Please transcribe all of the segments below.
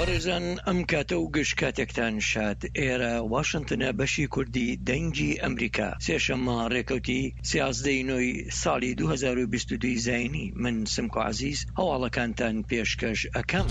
بەڕێزان ئەم کاتە و گشت کاتێکتان شاد ئێرە واشنتنە بەشی کوردی دەنگی ئەمریکا سێشەممە ڕێکەوتی سیازدەی نۆی ساڵی 2022 زینی من سمکۆ عەزیز هەواڵەکانتان پێشکەش ئەکەم.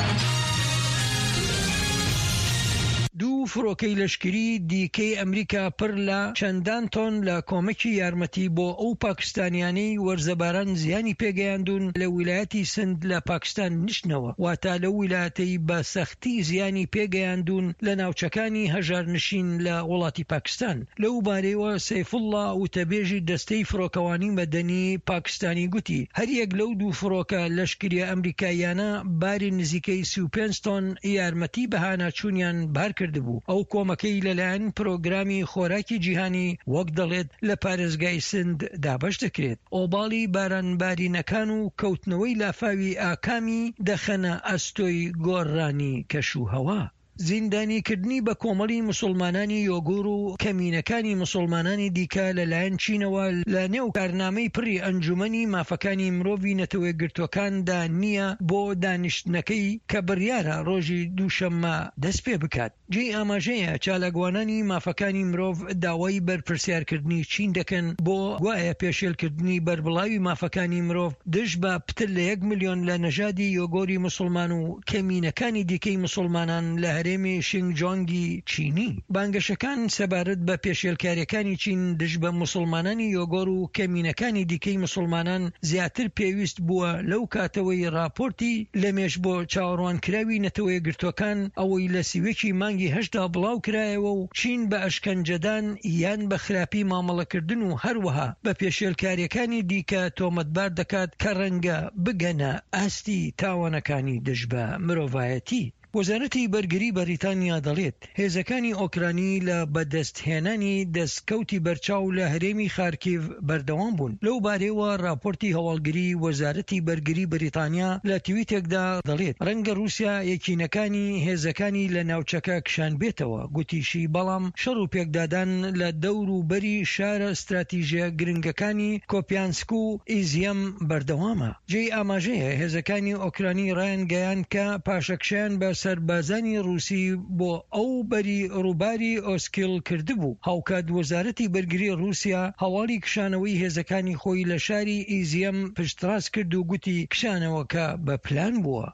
دوو فڕۆکەی لەشکری دیکەی ئەمریکا پڕ لە چەندان تۆن لە کۆمەکی یارمەتی بۆ ئەو پاکستانیانەی وەرزەباران زیانی پێگەیاندوون لە ویلایەتی سند لە پاکستان نیشتنەوە، واتە لەو ویلایەتەی بە سەختی زیانی پێگەیاندوون لە ناوچەکانی هەژارنشین لە وڵاتی پاکستان. لەو بارەیەوە سەیفوڵڵا وتەبێژی دەستەی فڕۆکەوانی مەدەنی پاکستانی گوتی، هەریەک لەو دوو فڕۆکە لەشکریە ئەمریکاییانە باری نزیکەی 35 تۆن یارمەتی بەهاناچوونیان بار کردبوو، ئەو کۆمەکەی لەلایەن پرۆگرامی خۆراکی جیهانی وەک دەڵێت لە پارێزگای سند دابەش دەکرێت. ئۆباڵی بارانبارینەکان و کەوتنەوەی لافاوی ئاکامی دەخەنە ئەستۆی گۆڕانی کەشوهەوا. زیندانیکردنی بە کۆمەڵی موسوڵمانانی یۆگور و کەمینەکانی موسوڵمانانی دیکە لە لایەن چینەوە لە نێو کارنامەی پڕی ئەنجومەنی مافەکانی مرۆڤی نەتەوەیەکگرتووەکاندا نییە بۆ دانیشتنەکەی کە بڕیارە ڕۆژی دووشەممە دەست پێ بکات. جێی ئاماژەیە چالاکوانانی مافەکانی مرۆڤ داوای بەرپرسیارکردنی چین دەکەن بۆ گوایە پێشێلکردنی بەربڵاوی مافەکانی مرۆڤ دژ بە پتر لە یەک ملیۆن لە نەژادی یۆگۆری موسوڵمان و کەمینەکانی دیکەی موسوڵمانان لە هەرێمی شینگجۆنگی چینی. بانگەشەکان سەبارەت بە پێشێلکارییەکانی چین دژ بە موسوڵمانانی یۆگۆر و کەمینەکانی دیکەی موسوڵمانان زیاتر پێویست بووە لەو کاتەوەی ڕاپۆرتی لەمێژ بۆ چاوەڕوانکراوی نەتەوەیەکگرتووەکان ئەوەی لە 31 ی مانگی هەشتدا بڵاوکرایەوە و چین بە ئەشکەنجەدان یان بە خراپی مامەڵەکردن و هەروەها بە پێشێلکارییەکانی دیکە تۆمەتبار دەکات کە ڕەنگە بگەنە ئاستی تاوانەکانی دژ بە مرۆڤایەتی. وەزارەتی بەرگری بەریتانیا دەڵێت، هێزەکانی ئۆکرانی لە بەدەستهێنانی دەستکەوتی بەرچاو لە هەرێمی خارکیڤ بەردەوام بوون. لەو بارەیەوە راپۆرتی هەواڵگری وەزارەتی بەرگری بەریتانیا لە تویتێکدا دەڵێت، رەنگە رووسیا یەکینەکانی هێزەکانی لە ناوچەکە کشانبێتەوە. گوتیشی، بەڵام شەڕ و پێکدادان لە دەور و بەری شارە ستراتیژیە گرنگەکانی کۆپیانسک و ئیزیەم بەردەوامە. جێی ئاماژەیە هێزەکانی ئۆکرانی ڕایانگەیاند کە پاشەکشەیان بە سەربازانی ڕووسی بۆ ئەو بەری ڕووباری ئۆسکیل کردبوو. هاوکات وەزارەتی بەرگری ڕووسیا هەواڵی کشانەوەی هێزەکانی خۆی لە شاری ئیزیەم پشتڕاست کرد و گوتی کشانەوەکە بە پلان بووە.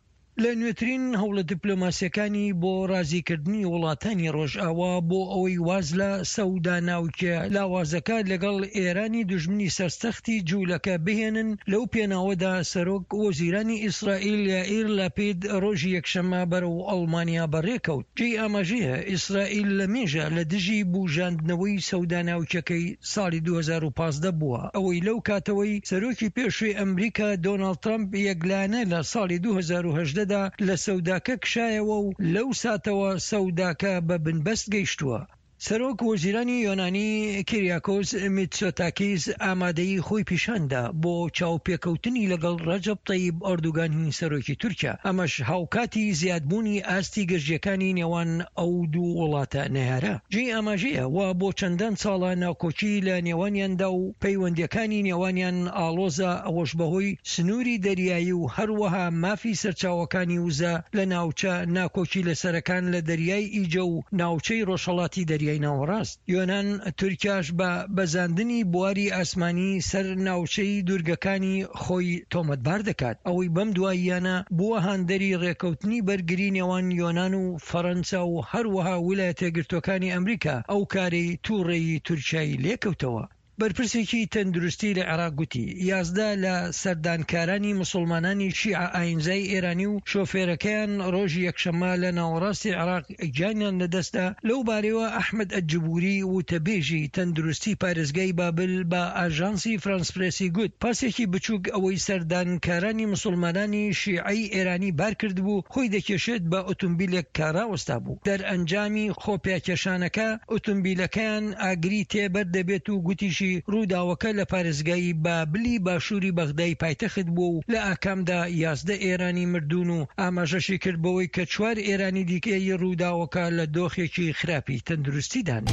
لە نوێترین هەوڵە دیپلۆماسییەکانی بۆ ڕازیکردنی وڵاتانی ڕۆژئاوا بۆ ئەوەی واز لە سەودا ناوکیە لاوازەکە لەگەڵ ئێرانی دوژمنی سەرسەختی جوولەکە بهێنن، لەو پێناوەدا سەرۆک وەزیرانی ئیسرائیل یائیر لاپید ڕۆژی یەکشەممە بەرەو ئەڵمانیا بەڕێکەوت. جێی ئاماژەیە ئیسرائیل لە مێژە لە دژی بوژاندنەوەی سەودا ناوکیەکەی ساڵی 2015 بووە، ئەوەی لەو کاتەوەی سەرۆکی پێشووی ئەمریکا دۆناڵد ترەمپ یەکلایەنە لە ساڵی 2018 دا لە سەوداکە کشایەوە و لەو ساتەوە سەوداکە بە بنبەست گەیشتووە. سەرۆک وەزیرانی یۆنانی کیریاکۆس میتسۆتاکیس ئامادەیی خۆی پیشاندا بۆ چاوپێکەوتنی لەگەڵ ڕەجەب تەیب ئەردوگانی سەرۆکی تورکیا، ئەمەش هاوکاتی زیادبوونی ئاستی گرژییەکانی نێوان ئەو دوو وڵاتە نەیارە. جێی ئاماژەیە وا بۆ چەندان ساڵە ناکۆکی لە نێوانیاندا و پەیوەندییەکانی نێوانیان ئاڵۆزە، ئەوەش بەهۆی سنووری دەریایی و هەروەها مافی سەرچاوەکانی وزە لە ناوچە ناکۆکی لەسەرەکان لە دەریای ئیجە و ناوچەی ڕۆژهەڵاتی دەریای ناوەڕاست. یۆنان، تورکیاش بە بەزاندنی بواری ئاسمانی سەر ناوچەی دوورگەکانی خۆی تۆمەتبار دەکات، ئەوەی بەم دواییانە بووە هاندەری ڕێککەوتنی بەرگری نێوان یۆنان و فەرەنسا و هەروەها ویلایەتەیەکگرتووەکانی ئەمریکا، ئەو کارەی تووڕەیی تورکیای لێکەوتەوە. بەرپرسێکی تەندروستی لە عێراق گوتی، 11 لە سەردانکارانی موسڵمانانی شیعە ئاینزای ئێرانی و شۆفێرەکەیان ڕۆژی یەکشەممە لە ناوەڕاستی عێراق گیانیان لەدەستدا، لەو بارەیەوە ئەحمەد ئەلجبوری وتەبێژی تەندروستی پارێزگای بابل بە ئاژانسی فرانس پرێسی گوت، پاسێکی بچووک ئەوەی سەردانکارانی موسڵمانانی شیعەی ئێرانی بارکردبوو خۆی دەکێشێت بە ئۆتۆمبیلێک کە ڕاوەستابوو، دەرئەنجامی خۆپیاکێشانەکە ئۆتۆمبیلەکەیان ئاگری تێ بەر دەبێت و گوتیشی ڕووداوەکە لە پارێزگای بابلی باشووری بەغدای پایتەخت بووە و لە ئاکامدا 11 ئێرانی مردوون و ئاماژەشی کرد بەوەی کە چوار ئێرانی دیکەی ڕووداوەکە لە دۆخێکی خراپی تەندروستیدان.